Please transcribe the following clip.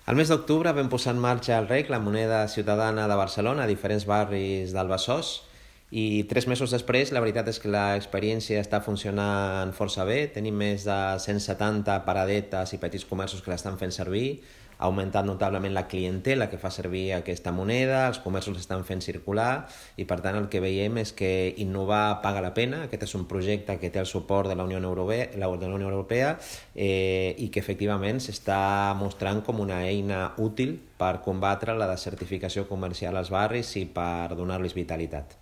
Al mes d'octubre vam posar en marxa el REC, la moneda ciutadana de Barcelona, a diferents barris del Besòs, i 3 mesos després la veritat és que l'experiència està funcionant força bé. Tenim més de 170 paradetes i petits comerços que l'estan fent servir. Ha augmentat notablement la clientela que fa servir aquesta moneda, els comerços l'estan fent circular i per tant el que veiem és que innovar paga la pena. Aquest és un projecte que té el suport de la Unió Europea i que efectivament s'està mostrant com una eina útil per combatre la desertificació comercial als barris i per donar-los vitalitat.